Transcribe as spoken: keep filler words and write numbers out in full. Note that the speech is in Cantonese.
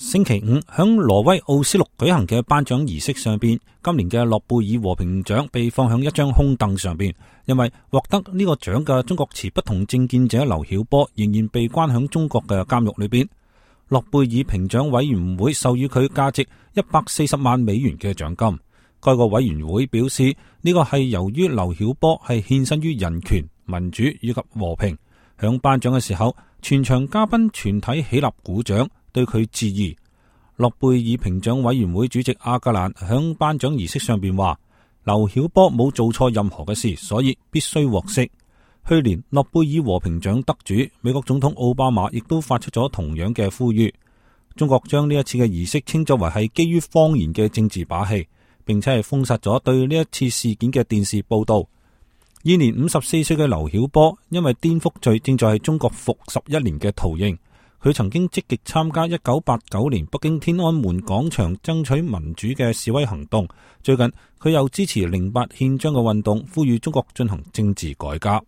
星期五響挪威奧斯陸舉行嘅頒獎儀式上邊，今年嘅諾貝爾和平獎被放響一張空凳上邊，因為獲得呢個獎嘅中國持不同政見者劉曉波仍然被關響中國嘅監獄裏邊。諾貝爾評獎委員會授予佢價值一百四十萬美元嘅獎金。該個委員會表示，呢個係由於劉曉波係獻身於人權、民主以及和平。響頒獎嘅時候，全場嘉賓全體起立鼓掌，對佢致意。諾貝爾評獎委員會主席阿格蘭響頒獎儀式上邊話，劉曉波冇做錯任何嘅事，所以必須獲釋。去年諾貝爾和平獎得主美國總統奧巴馬亦都發出咗同樣嘅呼籲。中國將呢一次嘅儀式稱作為係基於謊言嘅政治把戲，並且係封殺咗對呢一次事件嘅電視報道。現年五十四歲嘅劉曉波因為顛覆罪正在係中國服十一年嘅徒刑。佢曾經積極參加一九八九年北京天安門廣場爭取民主嘅示威行動。最近佢又支持零八憲章嘅運動，呼籲中國進行政治改革。